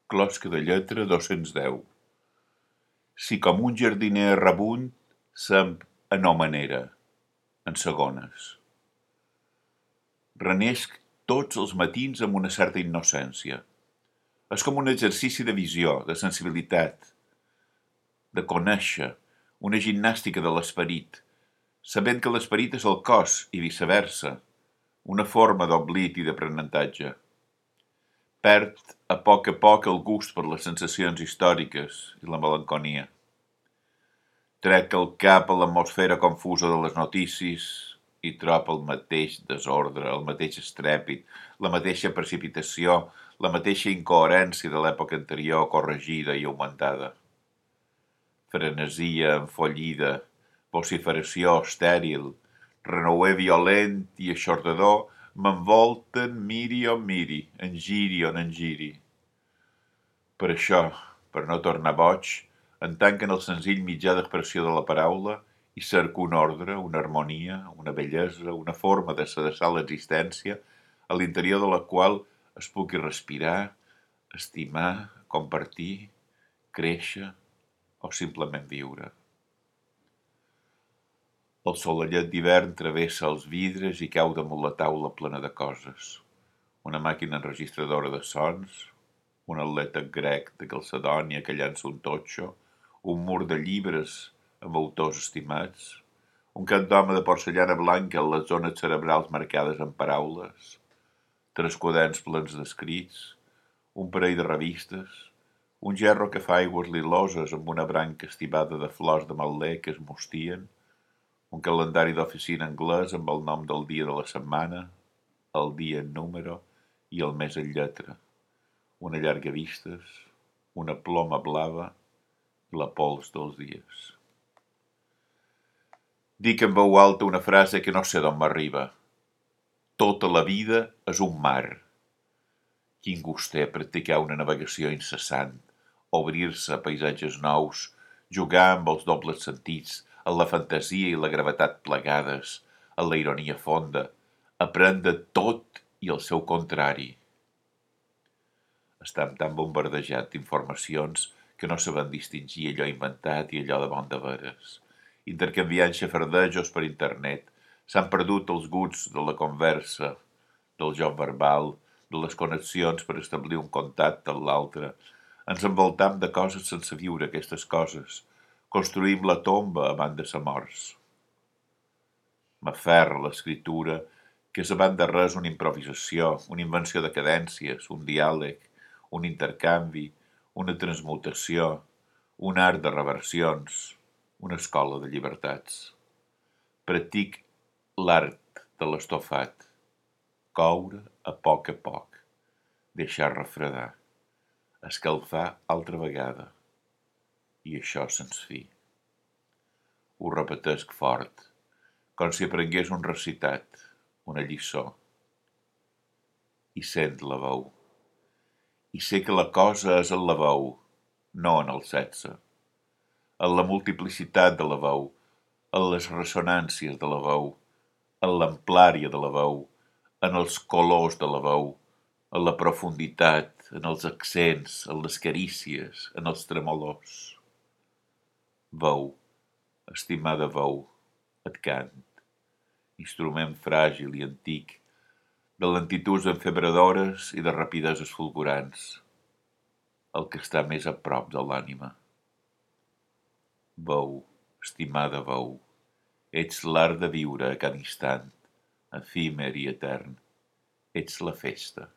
Closca de lletra 210. Si com un jardiner errabunt semp a no manera, en segones. Renesc tots els matins amb una certa innocència. És com un exercici de visió, de sensibilitat, de conèixer, una gimnàstica de l'esperit, sabent que l'esperit és el cos i viceversa, una forma d'oblit i d'aprenentatge. Perd a poc el gust per les sensacions històriques i la melanconia. Trec el cap a l'atmosfera confusa de les notícies i trob el mateix desordre, el mateix estrèpit, la mateixa precipitació, la mateixa incoherència de l'època anterior corregida i augmentada. Frenesia enfollida, vociferació estèril, renouer violent i aixordador m'envolten miri on miri, en giri on en giri. Per això, per no tornar boig, en tanquen el senzill mitjà d'expressió de la paraula i cerco un ordre, una harmonia, una bellesa, una forma de sedessar l'existència a l'interior de la qual es pugui respirar, estimar, compartir, créixer o simplement viure. El solellet d'hivern travessa els vidres i cau damunt la taula plena de coses. Una màquina enregistradora de sons, un atleta grec de Calcedònia que llança un totxo, un mur de llibres amb autors estimats, un cap d'home de porcellana blanca amb les zones cerebrals marcades en paraules, 3 quaderns plens d'escrits, un parell de revistes, un gerro que fa aigües liloses amb una branca estibada de flors de mal·lè que es mostien, un calendari d'oficina anglès amb el nom del dia de la setmana, el dia en número i el mes en lletra, una llarga vistes, una ploma blava i la pols dels dies. Dic en veu alta una frase que no sé d'on m'arriba. Tota la vida és un mar. Quin gust té practicar una navegació incessant, obrir-se a paisatges nous, jugar amb els dobles sentits, en la fantasia i la gravetat plegades, en la ironia fonda, aprendre tot i el seu contrari. Estem tan bombardejat d'informacions que no sabem distingir allò inventat i allò de bon de veres. Intercanviant xafardejos per internet, s'han perdut els gusts de la conversa, del joc verbal, de les connexions per establir un contacte amb l'altre. Ens envoltam de coses sense viure aquestes coses. Construïm la tomba abans de ser morts. M'aferra l'escriptura, que és abans de res una improvisació, una invenció de cadències, un diàleg, un intercanvi, una transmutació, un art de reversions, una escola de llibertats. Practic l'art de l'estofat, coure a poc, deixar refredar, escalfar altra vegada, i això se'ns fi. Ho repetesc fort, com si aprengués un recitat, una lliçó. I sent la veu. I sé que la cosa és en la veu, no en el sexe. En la multiplicitat de la veu, en les ressonàncies de la veu, en l'amplària de la veu, en els colors de la veu, en la profunditat, en els accents, en les carícies, en els tremolors. Veu, estimada veu, et cant, instrument fràgil i antic, de lentituds enfebradores i de rapideses fulgurants, el que està més a prop de l'ànima. Veu, estimada veu, ets l'art de viure a cada instant, efímer i etern, ets la festa.